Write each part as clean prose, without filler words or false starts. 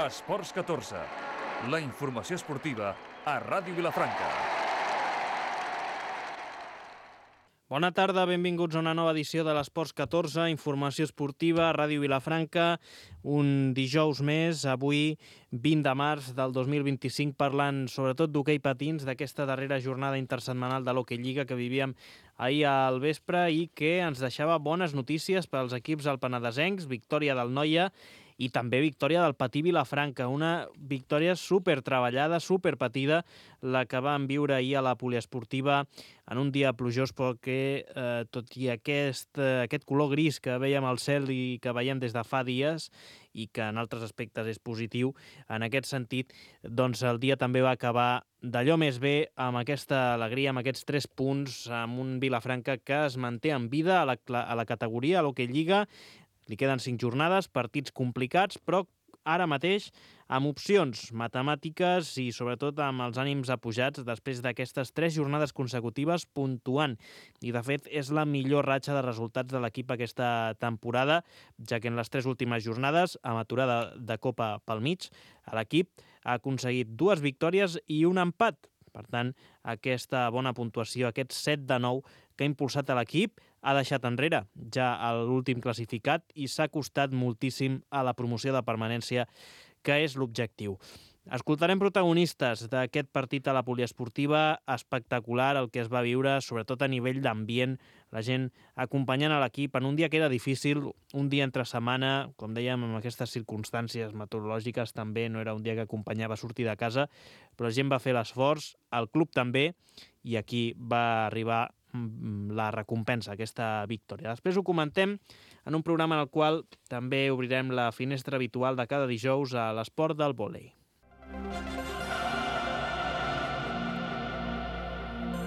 Esports 14, la informació esportiva a Ràdio Vilafranca. Bona tarda, benvinguts a una nova edició de l'Esports 14, informació esportiva a Ràdio Vilafranca. Un dijous més, avui 20 de març del 2025, parlant sobretot d'hoquei patins, d'aquesta darrera jornada intersetmanal de l'Hockey Lliga que vivíem ahir al vespre i que ens deixava bones notícies per als equips alpenadesencs, victòria del Noia i també victòria del Patí Vilafranca, una victòria supertreballada, superpatida, la que vam viure ahir a la poliesportiva en un dia plujós, però que tot i aquest color gris que veiem al cel i que veiem des de fa dies i que en altres aspectes és positiu, en aquest sentit, doncs el dia també va acabar d'allò més bé, amb aquesta alegria, amb aquests 3 punts, amb un Vilafranca que es manté en vida a la categoria, a l'Hockey Lliga. Li queden 5 jornades, partits complicats, però ara mateix amb opcions matemàtiques i sobretot amb els ànims apujats després d'aquestes 3 jornades consecutives puntuant. I de fet és la millor ratxa de resultats de l'equip aquesta temporada, ja que en les 3 últimes jornades, amb aturada de Copa pel mig, l'equip ha aconseguit 2 victòries i un empat. Per tant, aquesta bona puntuació, aquest 7 de 9 que ha impulsat a l'equip, ha deixat enrere ja l'últim classificat i s'ha costat moltíssim a la promoció de permanència, que és l'objectiu. Escoltarem protagonistes d'aquest partit a la poliesportiva, espectacular el que es va viure, sobretot a nivell d'ambient, la gent acompanyant a l'equip en un dia que era difícil, un dia entre setmana, com dèiem, amb aquestes circumstàncies meteorològiques també no era un dia que acompanyava sortir de casa, però la gent va fer l'esforç, el club també, i aquí va arribar la recompensa, aquesta victòria. Després ho comentem en un programa en el qual també obrirem la finestra habitual de cada dijous a l'esport del vòlei.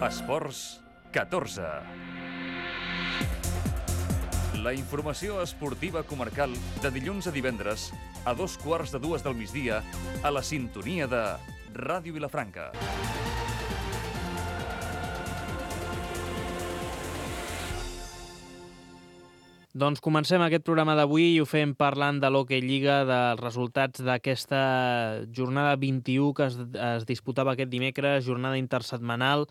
Esports 14. La informació esportiva comarcal de dilluns a divendres a 2:15 del migdia a la sintonia de Ràdio Vilafranca. Doncs comencem aquest programa d'avui i ho fem parlant de l'Hockey Lliga, dels resultats d'aquesta jornada 21 que es disputava aquest dimecres, jornada intersetmanal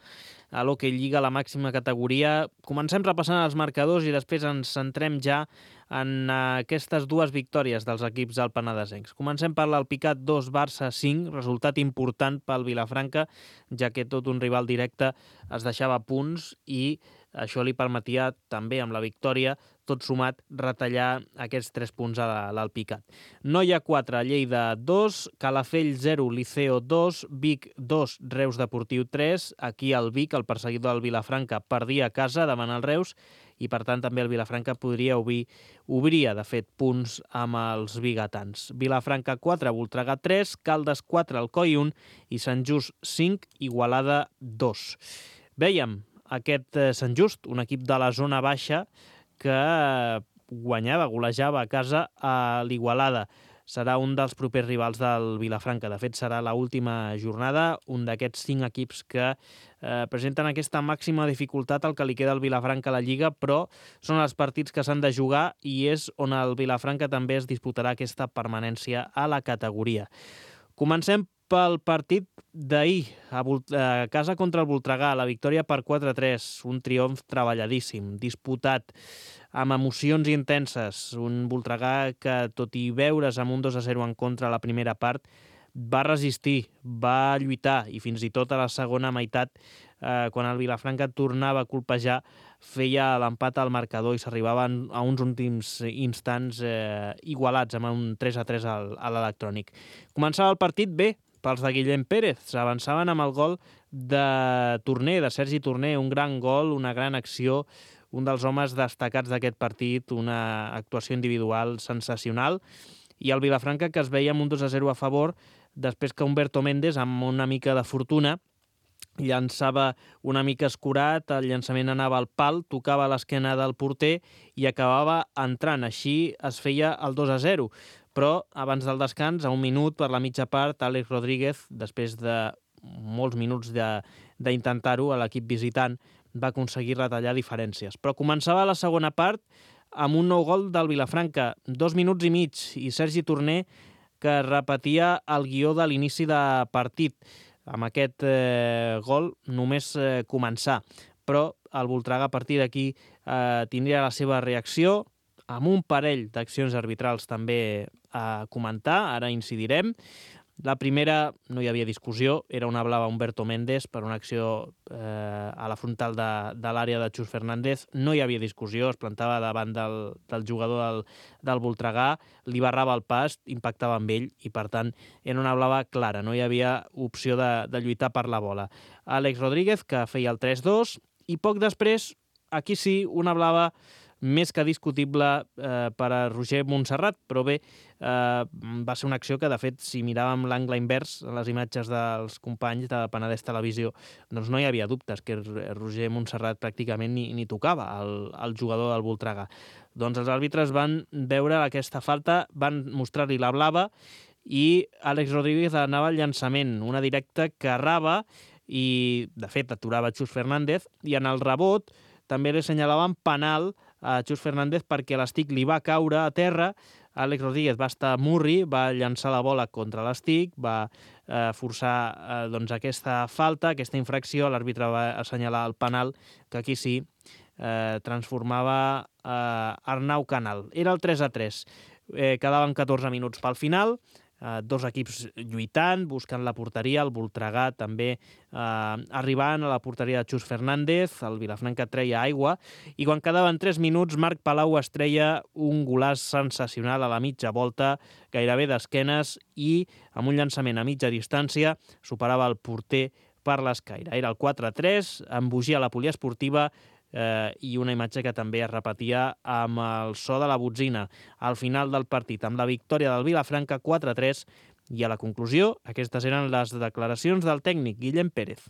a l'Hockey Lliga, la màxima categoria. Comencem repassant els marcadors i després ens centrem ja en aquestes 2 victòries dels equips alpenadesencs. Comencem per l'Alpicat 2, Barça 5, resultat important pel Vilafranca, ja que tot un rival directe es deixava punts i això li permetia també amb la victòria, tot sumat, retallar aquests 3 punts a l'Alpicat. Noia 4, Lleida 2, Calafell 0, Liceo 2, Vic 2, Reus Deportiu 3. Aquí el Vic, el perseguidor del Vilafranca, perdia a casa davant el Reus i per tant també el Vilafranca obria de fet punts amb els biguetans. Vilafranca 4, Voltregà 3, Caldes 4, Alcoi 1 i Sant Just 5, Igualada 2. Vèiem aquest Sant Just, un equip de la zona baixa que golejava a casa a l'Igualada. Serà un dels propers rivals del Vilafranca. De fet, serà l'última jornada, un d'aquests 5 equips que presenten aquesta màxima dificultat al que li queda al Vilafranca a la Lliga, però són els partits que s'han de jugar i és on el Vilafranca també es disputarà aquesta permanència a la categoria. Comencem pel partit d'ahir, a casa contra el Voltregà, la victòria per 4-3, un triomf treballadíssim, disputat, amb emocions intenses, un Voltregà que, tot i veure's amb un 2-0 en contra a la primera part, va resistir, va lluitar i fins i tot a la segona meitat, quan el Vilafranca tornava a colpejar, feia l'empat al marcador i s'arribaven a uns últims instants igualats amb un 3-3 a l'electrònic. Començava el partit bé pels de Guillem Pérez, s'avançaven amb el gol de Torner, de Sergi Torner, un gran gol, una gran acció, un dels homes destacats d'aquest partit, una actuació individual sensacional, i el Vilafranca que es veia amb un 2-0 a favor, després que Humberto Méndez, amb una mica de fortuna, llançava una mica escurat, el llançament anava al pal, tocava l'esquena del porter i acabava entrant. Així es feia el 2-0. Però abans del descans, a un minut per la mitja part, Àlex Rodríguez, després de molts minuts d'intentar-ho, a l'equip visitant va aconseguir retallar diferències. Però començava la segona part amb un nou gol del Vilafranca, 2 minuts i mig, i Sergi Torner que repetia el guió de l'inici de partit. Amb aquest gol només començar, però el Voltregà a partir d'aquí tindria la seva reacció, amb un parell d'accions arbitrals també a comentar, ara incidirem. La primera, no hi havia discussió, era una blava a Humberto Méndez per una acció a la frontal de l'àrea de Chus Fernández. No hi havia discussió, es plantava davant del jugador del Voltregà, li barrava el pas, impactava amb ell i, per tant, era una blava clara, no hi havia opció de lluitar per la bola. Àlex Rodríguez, que feia el 3-2, i poc després, aquí sí, una blava més que discutible per a Roger Montserrat, però bé, va ser una acció que, de fet, si miràvem l'angle invers, les imatges dels companys de Penedès Televisió, doncs no hi havia dubtes que Roger Montserrat pràcticament ni tocava el jugador del Voltregà. Doncs els àrbitres van veure aquesta falta, van mostrar-li la blava i Àlex Rodríguez anava al llançament, una directa que errava i, de fet, aturava Chus Fernández, i en el rebot també li assenyalaven penal a Chus Fernández perquè l'estic li va caure a terra. Àlex Rodríguez va estar murri, va llançar la bola contra l'estic, va forçar aquesta falta, aquesta infracció. L'àrbitre va assenyalar el penal, que aquí sí transformava Arnau Canal. Era el 3-3. Quedaven 14 minuts pel final, dos equips lluitant, buscant la porteria, el Voltregà també arribant a la porteria de Chus Fernández, el Vilafranca treia aigua, i quan quedaven 3 minuts, Marc Palau es treia un golàs sensacional a la mitja volta, gairebé d'esquenes, i amb un llançament a mitja distància superava el porter per l'escaire. Era el 4-3, embogia la poliesportiva, i una imatge que també es repetia amb el so de la botzina al final del partit, amb la victòria del Vilafranca 4-3, i a la conclusió aquestes eren les declaracions del tècnic Guillem Pérez.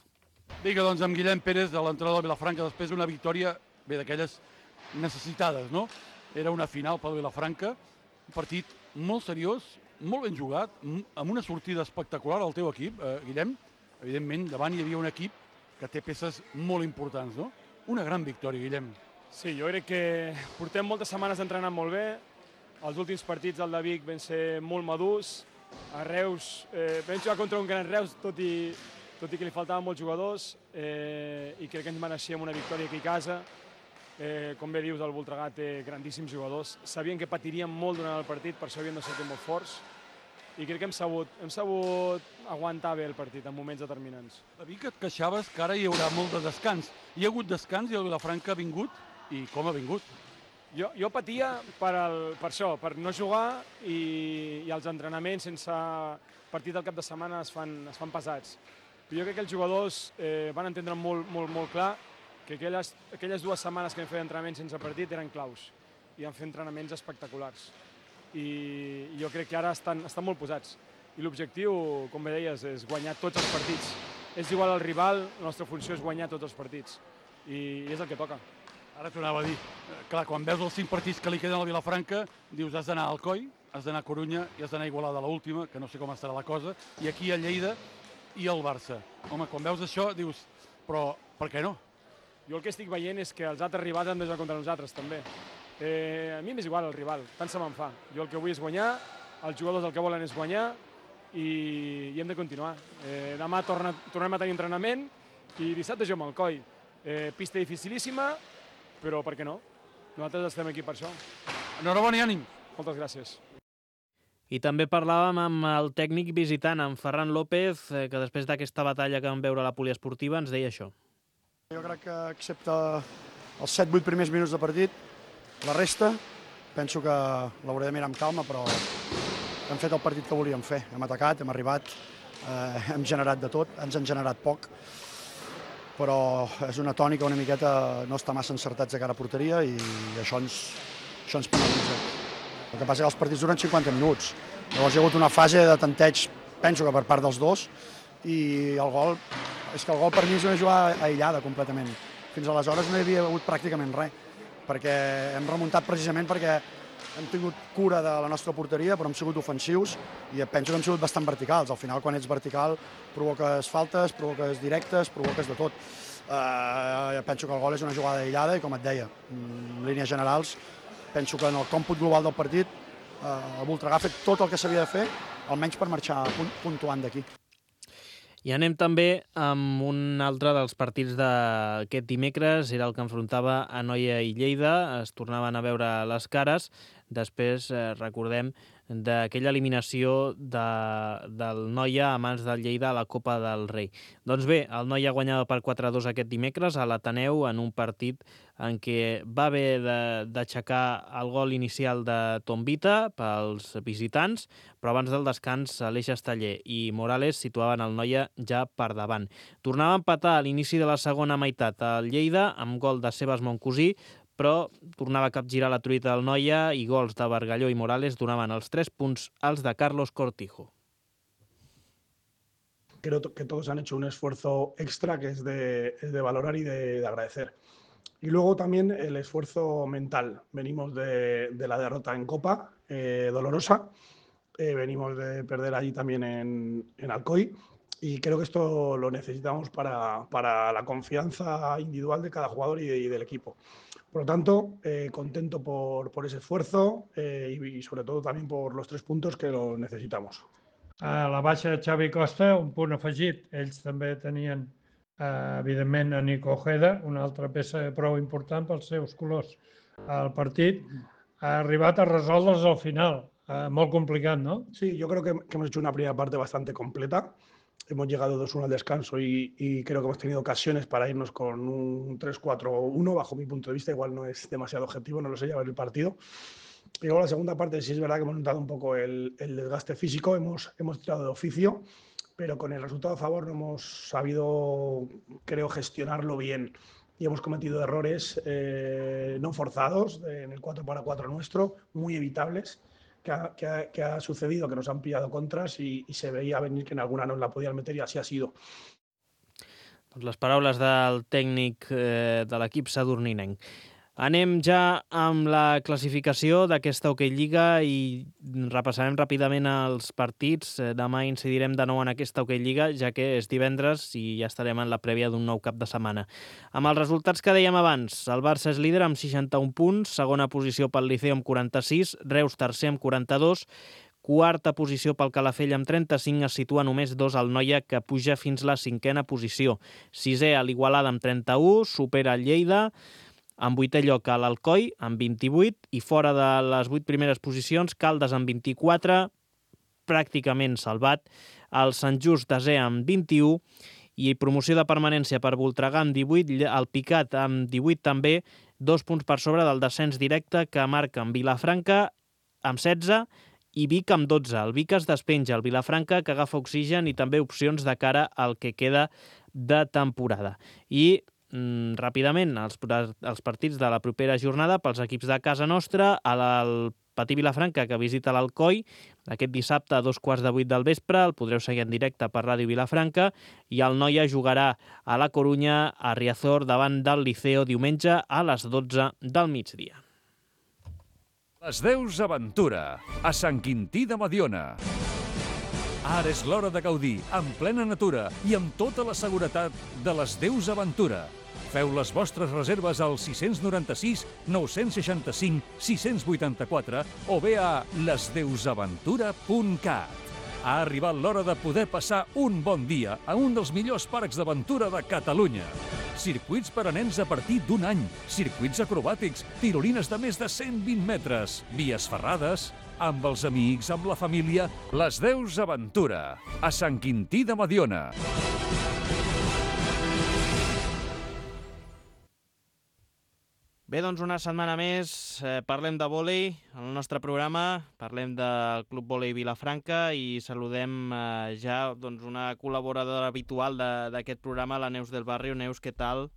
Vinga, doncs amb Guillem Pérez, de l'entrenador del Vilafranca, després d'una victòria d'aquelles necessitades, no? Era una final pel Vilafranca, un partit molt seriós, molt ben jugat, amb una sortida espectacular al teu equip, Guillem. Evidentment, davant hi havia un equip que té peces molt importants, no? Una gran victòria, Guillem. Sí, jo crec que portem moltes setmanes entrenant molt bé. Els últims partits del de Vic van ser molt madurs. A Reus vam jugar contra un gran Reus, tot i que li faltaven molts jugadors, i crec que ens mereixíem una victòria aquí a casa. Com bé dius, el Voltregà té grandíssims jugadors. Sabien que patiríem molt durant el partit, per això havien de sortir molt forts. I crec que hem sabut aguantar bé el partit en moments determinants. A Vic et queixaves que ara hi haurà molt de descans. Hi ha hagut descans i el Vilafranca ha vingut, i com ha vingut? Jo patia per això, per no jugar, i els entrenaments sense partit del cap de setmana es fan pesats. Però jo crec que els jugadors van entendre molt clar que aquelles 2 setmanes que vam fer d'entrenament sense partit eren claus i vam fer entrenaments espectaculars. I jo crec que ara estan molt posats. I l'objectiu, com bé deies, és guanyar tots els partits. És igual al rival, la nostra funció és guanyar tots els partits. I és el que toca. Ara t'ho anava a dir. Clar, quan veus els 5 partits que li queden al Vilafranca, dius has d'anar a Alcoi, has d'anar a Corunya i has d'anar a Igualada a l'última, que no sé com estarà la cosa, i aquí a Lleida i al Barça. Home, quan veus això dius, però per què no? Jo el que estic veient és que els altres rivals han de jugar contra nosaltres, també. A mi m'és igual el rival, tant se me'n fa. Jo el que vull és guanyar, els jugadors el que volen és guanyar i hem de continuar. Demà tornem a tenir entrenament i dissabte jo amb el Coi. Pista dificilíssima, però per què no? Nosaltres estem aquí per això. Enhorabona i ànim. Moltes gràcies. I també parlàvem amb el tècnic visitant, amb Ferran López, que després d'aquesta batalla que vam veure a la poliesportiva ens deia això. Jo crec que excepte els 7-8 primers minuts de partit, la resta, penso que l'hauré de mirar amb calma, però hem fet el partit que volíem fer. Hem atacat, hem arribat, hem generat de tot, ens han generat poc, però és una tònica una miqueta no estar massa encertats de cara a porteria i això ens penalitza. El que passa és que els partits duren 50 minuts. Llavors hi ha hagut una fase de tanteig, penso que per part dels dos, i el gol per mi és una jugada aïllada completament. Fins aleshores no hi havia hagut pràcticament res, perquè hem remuntat precisament perquè hem tingut cura de la nostra porteria, però hem sigut ofensius i penso que hem sigut bastant verticals. Al final, quan ets vertical, provoques faltes, provoques directes, provoques de tot. Penso que el gol és una jugada aïllada i, com et deia, en línies generals, penso que en el còmput global del partit el Voltregà ha fet tot el que s'havia de fer, almenys per marxar puntuant d'aquí. I anem també amb un altre dels partits d'aquest dimecres, era el que enfrontava a Noia i Lleida, es tornaven a veure les cares, després recordem d'aquella eliminació del Noia a mans del Lleida a la Copa del Rei. Doncs bé, el Noia guanyava per 4-2 aquest dimecres a l'Ateneu en un partit en què va haver d'aixecar el gol inicial de Tombita pels visitants, però abans del descans Aleix Esteller i Morales situaven el Noia ja per davant. Tornava a empatar a l'inici de la segona meitat al Lleida amb gol de Sebas Moncosí, però tornava a capgirar la truita del Noia i gols de Bargalló i Morales donaven els 3 punts als de Carlos Cortijo. Creo que todos han hecho un esfuerzo extra que es de valorar y de agradecer. Y luego también el esfuerzo mental. Venimos de la derrota en Copa, dolorosa. Venimos de perder allí también en Alcoy. Y creo que esto lo necesitamos para la confianza individual de cada jugador y del equipo. Por lo tanto, contento por ese esfuerzo y sobre todo también por los 3 puntos que lo necesitamos. A la baixa de Xavi Costa, un punt afegit. Ells també tenien, evidentment, a Nico Ojeda, una altra peça prou important pels seus colors. El partit ha arribat a resoldre's al final. Molt complicat, ¿no? Sí, yo creo que hemos hecho una primera parte bastante completa. Hemos llegado 2-1 al descanso y creo que hemos tenido ocasiones para irnos con un 3-4-1, bajo mi punto de vista. Igual no es demasiado objetivo, no lo sé, ya ver el partido. Y luego la segunda parte sí es verdad que hemos notado un poco el desgaste físico, hemos tirado de oficio, pero con el resultado a favor no hemos sabido, creo, gestionarlo bien. Y hemos cometido errores no forzados en el 4-4 nuestro, muy evitables, que ha sucedido, que nos han pillado contras y se veía venir que en alguna nos la podían meter y así ha sido. Doncs les paraules del tècnic de l'equip sadurninenc. Anem ja amb la classificació d'aquesta Hockey Lliga i repassarem ràpidament els partits. Demà incidirem de nou en aquesta Hockey Lliga, ja que és divendres i ja estarem en la prèvia d'un nou cap de setmana. Amb els resultats que dèiem abans, el Barça és líder amb 61 punts, segona posició pel Liceo amb 46, Reus tercer amb 42, quarta posició pel Calafell amb 35, es situa només 2 al Noia, que puja fins la 5a posició. Sisè a l'Igualada amb 31, supera el Lleida, en 8è lloc a l'Alcoi, amb 28, i fora de les 8 primeres posicions, Caldes amb 24, pràcticament salvat, el Sant Just desè amb 21, i promoció de permanència per Voltregà amb 18, el Picat amb 18 també, 2 punts per sobre del descens directe que marca en Vilafranca amb 16 i Vic amb 12. El Vic es despenja, el Vilafranca que agafa oxigen i també opcions de cara al que queda de temporada. I ràpidament, els partits de la propera jornada pels equips de casa nostra, el Patí Vilafranca, que visita l'Alcoi, aquest dissabte a 2:15 del vespre, el podreu seguir en directe per Ràdio Vilafranca, i el Noia jugarà a la Corunya, a Riazor, davant del Liceo, diumenge a les 12 del migdia. Les Deus Aventura, a Sant Quintí de Mediona. Ara és l'hora de gaudir, en plena natura i amb tota la seguretat de les Deus Aventura. Feu les vostres reserves al 696 965 684 o bé a lesdeusaventura.cat. Ha arribat l'hora de poder passar un bon dia a un dels millors parcs d'aventura de Catalunya. Circuits per a nens a partir d'1 any, circuits acrobàtics, tirolines de més de 120 metres, vies ferrades, amb els amics, amb la família, les Deus Aventura, a Sant Quintí de Mediona. Bé, doncs una setmana més parlem de vòlei en el nostre programa, parlem del Club Vòlei Vilafranca i saludem ja una col·laboradora habitual d'aquest programa, la Neus del Barrio. Neus, què tal?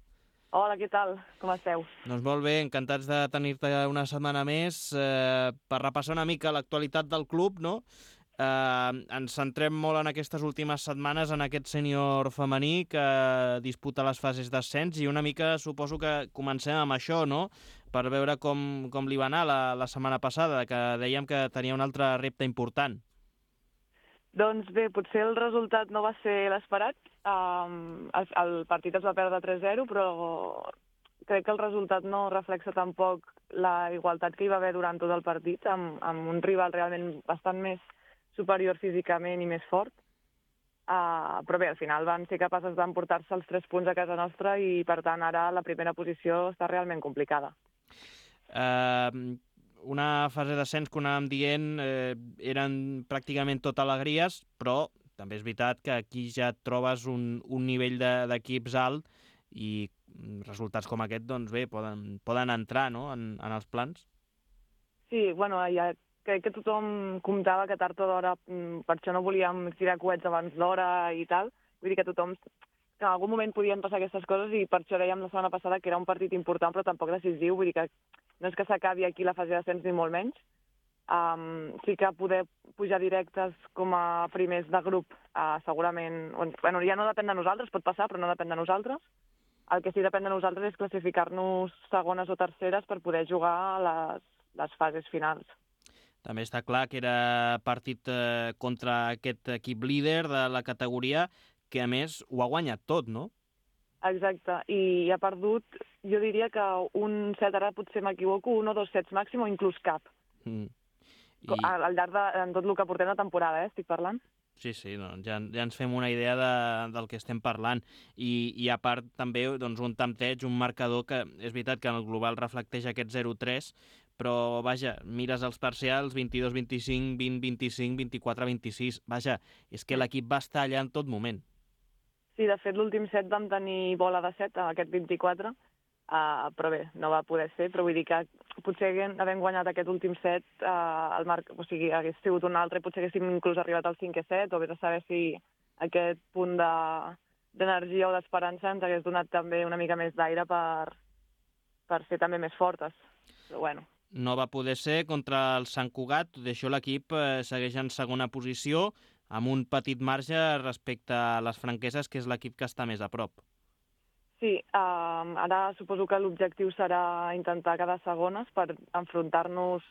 Hola, què tal? Com esteu? Doncs molt bé, encantats de tenir-te una setmana més per repassar una mica l'actualitat del club, no? Ens centrem molt en aquestes últimes setmanes en aquest sènior femení que disputa les fases d'ascens i una mica suposo que comencem amb això, no? Per veure com li va anar la setmana passada, que dèiem que tenia un altre repte important. Doncs bé, potser el resultat no va ser l'esperat. El partit es va perdre 3-0, però crec que el resultat no reflexa tampoc la igualtat que hi va haver durant tot el partit, amb un rival realment bastant més superior físicament i més fort. Però bé, al final van ser capaces d'emportar-se els 3 punts a casa nostra i, per tant, ara la primera posició està realment complicada. Una fase d'ascens que anàvem dient eren pràcticament tot alegries, però també és veritat que aquí ja et trobes un nivell d'equips alt i resultats com aquest, doncs bé, poden entrar, no?, en els plans. Sí, bueno, ja crec que tothom comptava que tard o d'hora, per això no volíem tirar coets abans d'hora i tal, vull dir que tothom, que en algun moment podien passar aquestes coses i per això dèiem la setmana passada que era un partit important però tampoc decisiu, vull dir que no és que s'acabi aquí la fase d'ascens ni molt menys. Sí que poder pujar directes com a primers de grup segurament, bueno, ja no depèn de nosaltres, pot passar però no depèn de nosaltres. El que sí depèn de nosaltres és classificar-nos segones o terceres per poder jugar a les fases finals. També està clar que era partit contra aquest equip líder de la categoria, que a més ho ha guanyat tot, no? Exacte, i ha perdut, jo diria que un set, ara potser m'equivoco, 1 o 2 sets màxim o inclús cap. Al llarg de tot el que portem de temporada, estic parlant. Sí, no, ja ens fem una idea del que estem parlant. I a part també doncs, un tempteig, un marcador que és veritat que en el global reflecteix aquest 0-3, però vaja, mires els parcials 22-25, 20-25, 24-26, vaja, és que l'equip va estar allà en tot moment. Sí, de fet l'últim set vam tenir bola de set, aquest 24, però bé, no va poder ser, però vull dir que potser havent guanyat aquest últim set, o sigui, hagués sigut un altre, potser haguéssim inclús arribat al 5è set, o vés a saber si aquest punt d'energia o d'esperança ens hagués donat també una mica més d'aire per ser també més fortes, però bueno. No va poder ser contra el Sant Cugat, tot i això l'equip segueix en segona posició, amb un petit marge respecte a les Franqueses, que és l'equip que està més a prop. Sí, ara suposo que l'objectiu serà intentar quedar segones per enfrontar-nos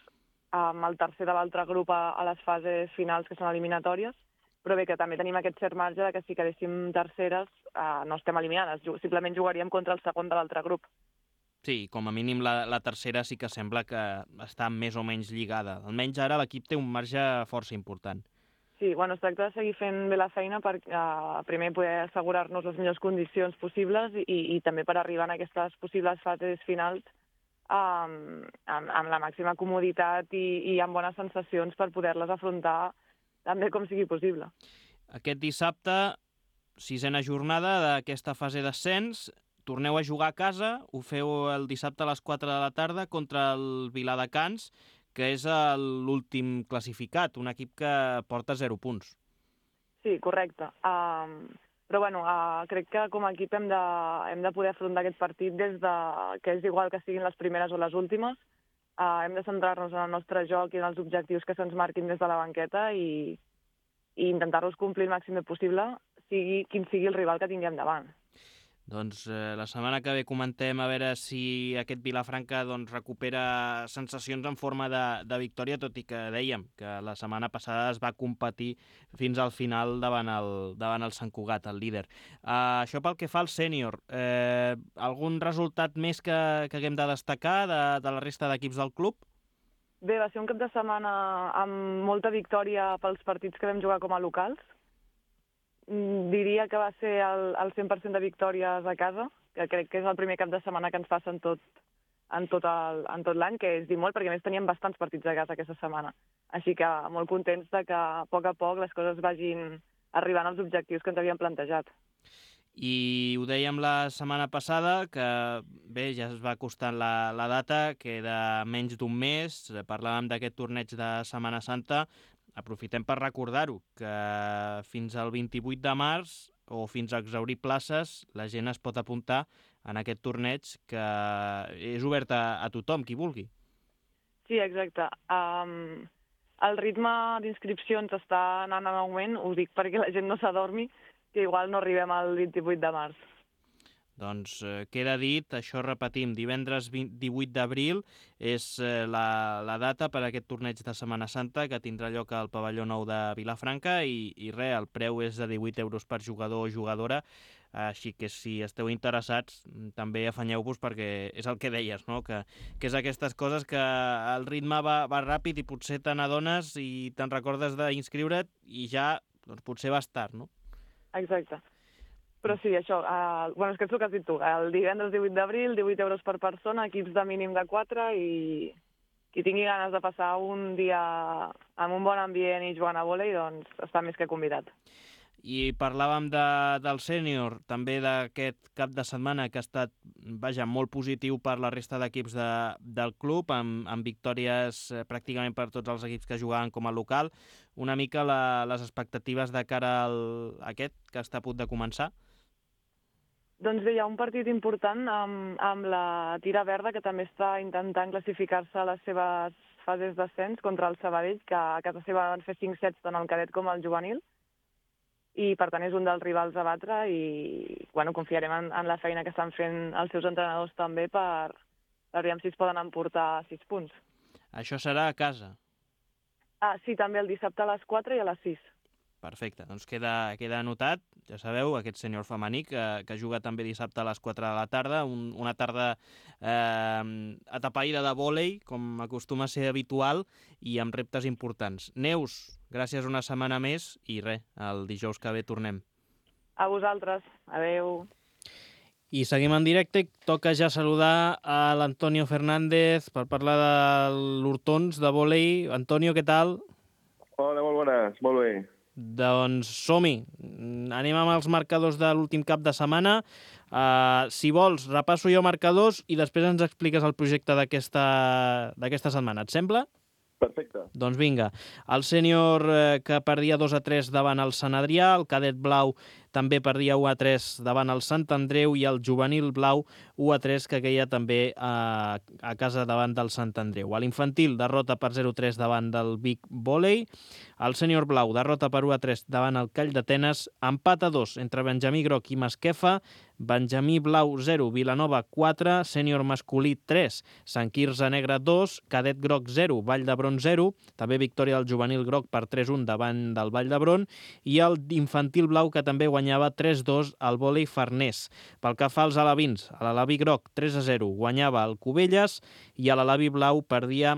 amb el tercer de l'altre grup a les fases finals, que són eliminatòries, però bé, que també tenim aquest cert marge de que si quedéssim terceres no estem eliminades, simplement jugaríem contra el segon de l'altre grup. Sí, com a mínim la tercera sí que sembla que està més o menys lligada. Almenys ara l'equip té un marge força important. Sí, bueno, es tracta de seguir fent bé la feina per primer poder assegurar-nos les millors condicions possibles i també per arribar en aquestes possibles fases finals amb la màxima comoditat i amb bones sensacions per poder-les afrontar tan bé com sigui possible. Aquest dissabte, 6a jornada d'aquesta fase d'ascens, torneu a jugar a casa, ho feu el dissabte a les 4 de la tarda contra el Viladecans, que és l'últim classificat, un equip que porta 0 punts. Sí, correcte. Però bueno, crec que com a equip hem de poder afrontar aquest partit des de que és igual que siguin les primeres o les últimes. Hem de centrar-nos en el nostre joc i en els objectius que se'ns marquin des de la banqueta i intentar-los complir el màxim possible, quin sigui el rival que tinguem davant. Doncs la setmana que ve comentem a veure si aquest Vilafranca recupera sensacions en forma de victòria, tot i que dèiem que la setmana passada es va competir fins al final davant el Sant Cugat, el líder. Això pel que fa al sènior. Algun resultat més que haguem de destacar de la resta d'equips del club? Bé, va ser un cap de setmana amb molta victòria pels partits que vam jugar com a locals. Diria que va ser el 100% de victòries a casa, que crec que és el primer cap de setmana que ens passa en tot l'any, que és dir molt, perquè a més teníem bastants partits a casa aquesta setmana. Així que molt contents de que a poc les coses vagin arribant als objectius que ens havíem plantejat. I ho dèiem la setmana passada, que bé, ja es va acostant la data, queda menys d'un mes, parlàvem d'aquest torneig de Setmana Santa. Aprofitem per recordar-ho, que fins al 28 de març o fins a exhaurir places la gent es pot apuntar en aquest torneig que és obert a tothom, qui vulgui. Sí, exacte. El ritme d'inscripcions està anant en augment, ho dic perquè la gent no s'adormi, que igual no arribem al 28 de març. Doncs queda dit, això repetim, divendres 18 d'abril és la data per a aquest torneig de Setmana Santa que tindrà lloc al pavelló nou de Vilafranca i res, el preu és de 18 euros per jugador o jugadora. Així que si esteu interessats, també afanyeu-vos perquè és el que deies, no? Que és aquestes coses que el ritme va ràpid i potser te n'adones i te'n recordes d'inscriure't i ja doncs, potser vas tard, no? Exacte. Però sí, això, és que és el que has dit tu, el divendres 18 d'abril, 18 euros per persona, equips de mínim de 4 i qui tingui ganes de passar un dia amb un bon ambient i jugant a vòlei, doncs està més que convidat. I parlàvem del sènior, també d'aquest cap de setmana que ha estat, molt positiu per la resta d'equips del club, amb victòries pràcticament per tots els equips que jugaven com a local. Una mica les expectatives de cara a aquest, que està a punt de començar? Doncs bé, hi ha un partit important amb la Tira Verda, que també està intentant classificar-se a les seves fases d'ascens contra el Sabadell, que a casa seva van fer 5 sets tant el cadet com el juvenil, i per tant és un dels rivals a batre i confiarem en la feina que estan fent els seus entrenadors també per veure si es poden emportar 6 punts. Això serà a casa? Sí, també el dissabte a les 4 i a les 6. Perfecte, doncs queda anotat, ja sabeu, aquest sènior femení que juga també dissabte a les 4 de la tarda, una tarda atapeïda de vòlei, com acostuma a ser habitual, i amb reptes importants. Neus, gràcies una setmana més i el dijous que ve tornem. A vosaltres, adeu. I seguim en directe, toca ja saludar a l'Antonio Fernández per parlar de l'Hortons de vòlei. Antonio, què tal? Hola, molt bones, molt bé. Doncs som-hi, anem amb els marcadors de l'últim cap de setmana. Si vols, repasso jo marcadors i després ens expliques el projecte d'aquesta setmana. Et sembla? Perfecte. Doncs vinga, el sènior que perdia 2-3 davant el Sant Adrià, el cadet blau també perdia 1-3 davant el Sant Andreu i el juvenil blau 1-3 que queia també a casa davant del Sant Andreu. A l'infantil, derrota per 0-3 davant del Vic Vòlei. El sènior blau, derrota per 1-3 davant el Call d'Atenes. Empat a 2 entre Benjamí Groc i Masquefa. Benjamí Blau 0, Vilanova 4, sènior masculí 3, Sant Quirze Negre 2, cadet groc 0, Vall d'Hebron 0, també victòria del juvenil groc per 3-1 davant del Vall d'Hebron, i el infantil blau que també guanyava 3-2 al vòlei Farners. Pel que fa als alevins, a l'Alaví groc 3-0 guanyava el Cubelles i a l'Alaví blau perdia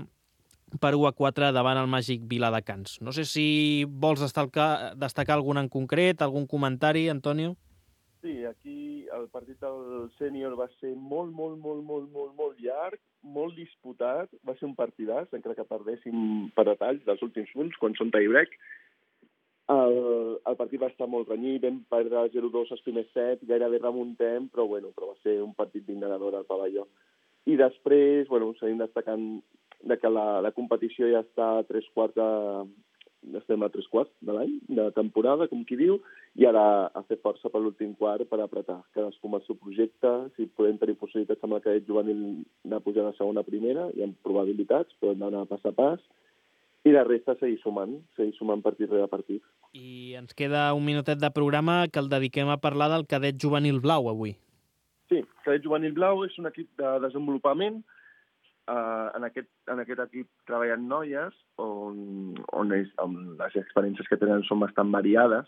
per 1-4 davant el Màgic Viladecans. No sé si vols destacar algun en concret, algun comentari, Antonio? Sí, aquí el partit del sènior va ser molt llarg, molt disputat, va ser un partidàs, encara que perdéssim per detalls dels últims punts, quan són tie-break. El partit va estar molt renyit, vam perdre 0-2 els primers sets, gairebé remuntem, però va ser un partit digne al pavelló. I després, seguim destacant que la competició ja està a 3/4 estem a 3/4 de l'any, de temporada, com qui diu, i ara a fer força per l'últim quart per apretar. Cadascú amb el seu projecte, si podem tenir possibilitats amb el cadet juvenil anar pujant a segona a primera, hi ha probabilitats, però hem d'anar pas a pas, i la resta seguir sumant partit rere partit. I ens queda un minutet de programa que el dediquem a parlar del cadet juvenil blau avui. Sí, el cadet juvenil blau és un equip de desenvolupament. En aquest equip treballen noies on les experiències que tenen són bastant variades,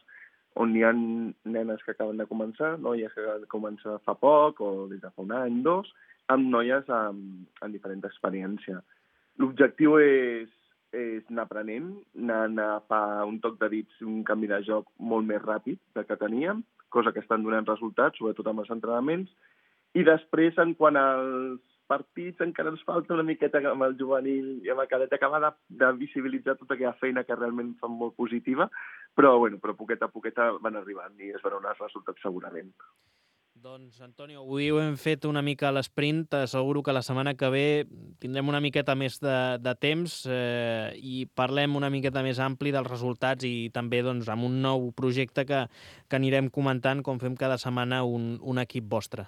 on hi ha nenes que acaben de començar, noies que acaben de començar fa poc o des de fa un any, 2, amb noies amb diferent experiència. L'objectiu és anar aprenent, anar a agafar un toc de dits, un canvi de joc molt més ràpid del que teníem, cosa que estan donant resultats, sobretot amb els entrenaments, i després, en quant als partits, encara ens falta una miqueta amb el juvenil i amb el cadet acabar de visibilitzar tota aquella feina que realment fan molt positiva, però poquet a poquet van arribant i es veuran els resultats segurament. Doncs, Antonio, avui ho hem fet una mica a l'esprint. T'asseguro que la setmana que ve tindrem una miqueta més de temps i parlem una miqueta més ampli dels resultats i també amb un nou projecte que anirem comentant com fem cada setmana un equip vostre.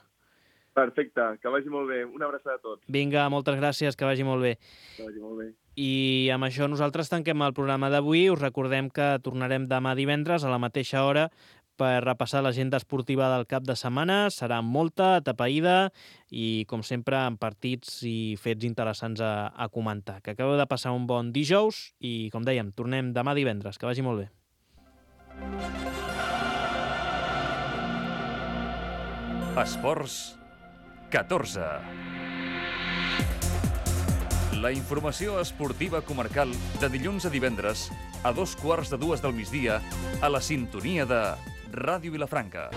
Perfecte, que vagi molt bé. Una abraçada a tots. Vinga, moltes gràcies, que vagi molt bé. Que vagi molt bé. I amb això nosaltres tanquem el programa d'avui. Us recordem que tornarem demà divendres a la mateixa hora per repassar l'agenda esportiva del cap de setmana. Serà molta, atapeïda i, com sempre, amb partits i fets interessants a comentar. Que acabeu de passar un bon dijous i, com dèiem, tornem demà divendres. Que vagi molt bé. Esports 14. La informació esportiva comarcal de dilluns a divendres a 2:15 del migdia a la sintonia de Ràdio Vilafranca.